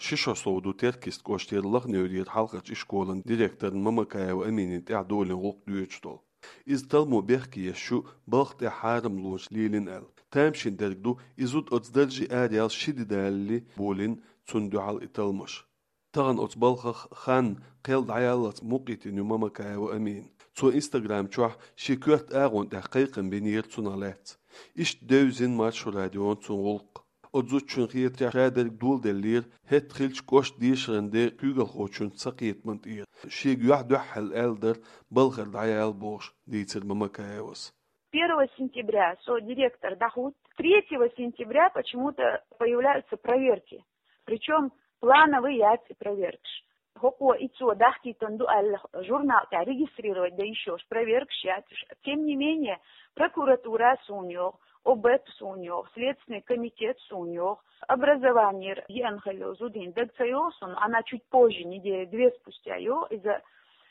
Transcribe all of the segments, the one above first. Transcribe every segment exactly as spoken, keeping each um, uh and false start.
Ши шо сов ду Теркйист кӀоштера Лаха-Неврера хьалхарча ишколан директорна Мамакаева Аминина тӀехь долийна гӀуллакх доьдуш долу. Иза талламо бехке еш ю балха тӀехь хьарамлонаш лелийна аьлла. Тамашийна дерг ду, и зуда оцу даржехь араяьлла ши де далале болийна цунна дуьхьал и талламаш. Тахана оцу балхах хан, кхел дӀаяллалц мукъайитина ю Мамакаева Амина. Цо Instagram чохь шен коьрта агӀонна тӀехь кхайкхам бинера цунах лаьцна. Иштта девзина Маршо радион цуьнан гӀуллакх. Оцу зудчун хетарехь, ша дерг доладеллера, хӀетта хилча кӀоштан дешаран ден куьйгалхочун сакхетаман тӀера. Шега юьхь дуьххьал аьлла дара, балхара дӀаяла бохуш, дийцира Мамакаевас. Первого сентября со директор дӀахӀутту. Третьего сентября почему-то появляются проверки. Причём плановые яц и проверкаш. ХӀокхо и цо дахкийтина ду аьлла журнал тӀехь регистрировать дан йиш йолуш проверкаш яц уьш. Тем не менее, прокуратура суна йогӀу, ОБЭП суна йогӀу, Следственный комитет суна йогӀу, образованера еана хилла йолу зуда хӀинца даг ца йогӀу суна, она чуть позже, недели две спустя йогӀу иза.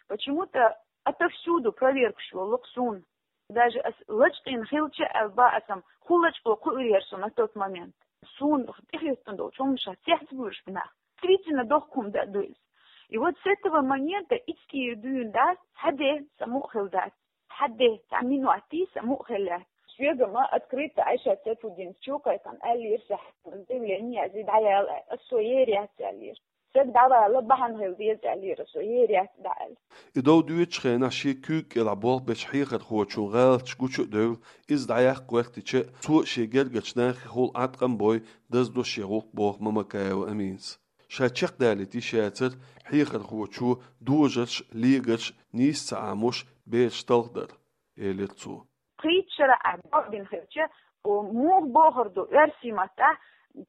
Почему-то отовсюду проверкаш йолу-кх суна. Даже ас лачкъийна хилча аьлла бан ас-м, хӀун лачкъо кхуьур яра со на тот момент. Суна тӀехӀоьттина долчу хӀуманашах цецбуьйлуш бу нах. Действительно, дохко хӀума дан а ду иза. И вот с этого момента ицкъера дуьйна дац, хьан де, сан мукъа хилла дац. Хьан де, цхьа минот йий, сан мукъа хилла яц. Соьга-м открыто Айшат Сайфутдиновна чу кхайкхина аьллера, сан заявление язъе дӀаяла аьлла. Ас со ер яц аьллера. Стаг дӀавала бахьана хила деза аьллера со, ер яц дӀа аьлла. И дов доьдучу хенахь шен куьйга кӀелахь болх бечу хьехархочун гӀалаташ гучу а девлла, иза дӀаяккха гӀоьртича, цо шен гергарчу нахехула Ӏаткъам бой, даздо шен гӀуллакх боху Мамакаева Аминас. Ша чекхдалийта йиш яцара, хьехархочо дожарш, легарш нийса ца Ӏамош, бераш талхадар, элира цо. Кхечу шарахь бохург хилча, о, муха бохур ду оьрсийн маттахь,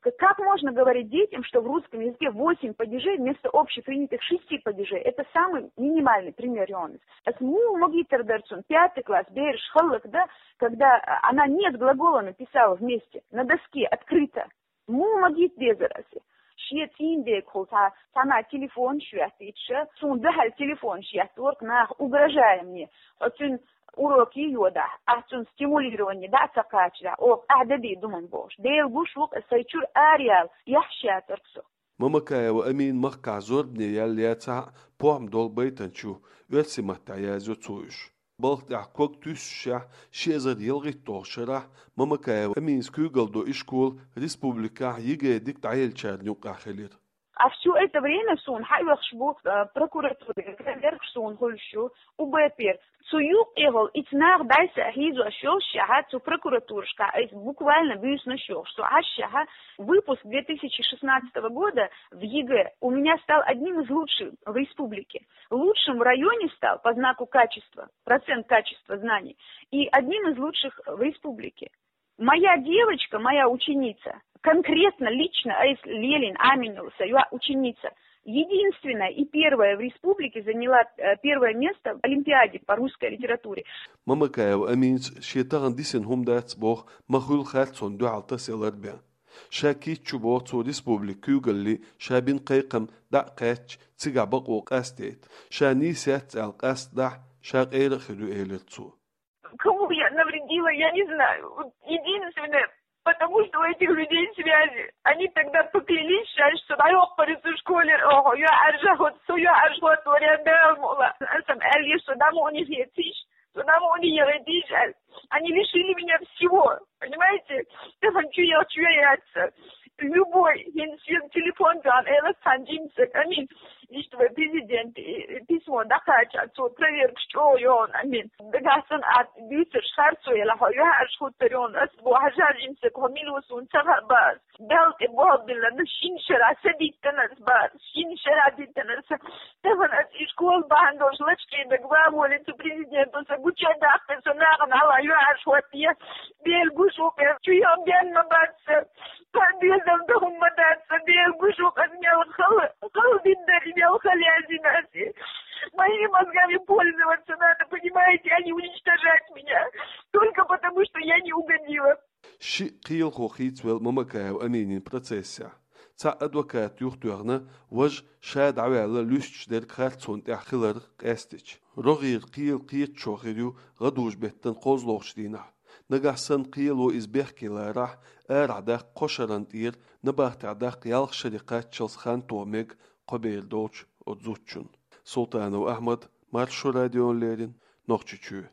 к-, как можно говорить детям, что в русском языке восемь падежей вместо общепринятых шести падежей? Это самый минимальный пример, Йонас. Ас муха магийтар дара цунна, пятый класс, бераш хӀаллакдан, когда, а, она нет глагола написала вместе, на доске, открыто. Муха магийта дезара ас? Шен цӀийнан дегахула цхьа, цхьана телефонаш йоьттича, суна дуьхьал телефонаш еттора-кх наха, угрожая мне. Хьо цуьнан уроке йодахь, ахь цунна стимулирование дӀа а ца кхачадахь, оха ахь де дийр ду-м бохуш. Дела гуш ву-кх, ас сайн чуьра араяла, яхьаш яцара-кх со. Мамакаева Амина махкахь зорбане яьлла яцахь а, похӀма долу байтанча ю, оьрсийн маттахь язйо цо уьш. Балха тӀехь ког туьссушехь, ши эзар ялхитталгӀачу шарахь Мамакаева Аминас куьйгалла долу ишкол республикехь ЕГЭ дика дӀаеллачарна юккъехь хилира. А всё это время суна хьаоьхуш бу, э, прокуратуре, проверкаш суна хуьлуш ю, УБЭПера. Цу юккъехула и цу наха дӀасахьийзош йолушшехь, цу прокуратурашкахь айса буквально буьйсанаш йохуш, со Ӏашшехь, выпуск две тысячи шестнадцатого года в ЕГЭ у меня стал одним из лучших в республике. Лучшим в районе стал по знаку качества, процент качества знаний, и одним из лучших в республике. Моя девочка, моя ученица, конкретно, лично Айса Лелина Амина йолу сан йоӀ, ученица, единственная и первая в республике заняла, э, первое место в олимпиаде по русской литературе. Мамакаева Аминас шен тахана дисина хӀума дац боху, ма хуьлу харцонна дуьхьал тасаялар бен. Ша кийча чу боху цо республика куьйгалле ша бина кхайкхам дӀа а кхаьчча, цигахь бакъо къастайта. Ша нийса яц аьлла къастадахь, ша къера а хир ю, элира цо. Кому я навредила, я не знаю. Вот единственное, потому что у этих людей связи. Они тогда поклялись, ша, что дӀайоккхур ю цу школера, оха, юьхьӀаьржа хӀотту, со юьхьӀаьржа хӀотту, вариант Дала мукъ лахь. Аса-м аьлла, что дӀа мукъане хецийша, что дӀа мукъане яхийтийша аьлла. Они лишили меня всего, понимаете? Тахана чу яхча, чу яц сан. Любой, хӀинца шен телефон тӀехь, элас цхьана жимсаг, Амин, иштта вай президент, и, и письмо дӀакхача, цо проверкаш чӀогӀа йогӀу, Амин. Дагахь санна а дуьйцурш харцо елахь, хьо юьхьӀаьржа хӀуттур ю, ас боху, хьажа жимсаг, хьо мила ву суна ца хаьа боху ас. Далла тӀе болх биллина, шина шарахь са диттина ас боху ас, шина шарахь диттина ас. Тахана ас и школа бахьана долуш лачкъийна даг ван волий цу президенто, сан гуча а даккхий, со нахана хьалха юьхьӀаьржа хӀоттае. Дела гуш ву-кх, чу ян бен ма бац сан. Сан доьзална дан хӀума ма дац сан, Дела гуш ву-кх, ас мел хала, хала дина дара, и мел хала яздина ас. Моими мозгами пользоваться надо, понимаете, а не уничтожать меня. Только потому, что я не угодила. Ши кхелахо хийцавелла Мамакаева Аминин процессехь. Цхьа адвокат юхатоьхна, важа ша дӀаваьлла луьстуш дерг харцонна тӀехь хиларх къаьстича. РогӀера кхел кхеташо хир ю гӀадужу-беттан кхозлагӀчу дийнахь. Нагахь санна кхело иза бехке ларахь, арахь даккха кхо шарна тӀера, набахтехь даккха ялх шаре кхаччалц хан тоха мега кхо бер долчу оцу зудчунна. Султанов Ахьмад, Маршо радиона леррина, Нохчийчоь.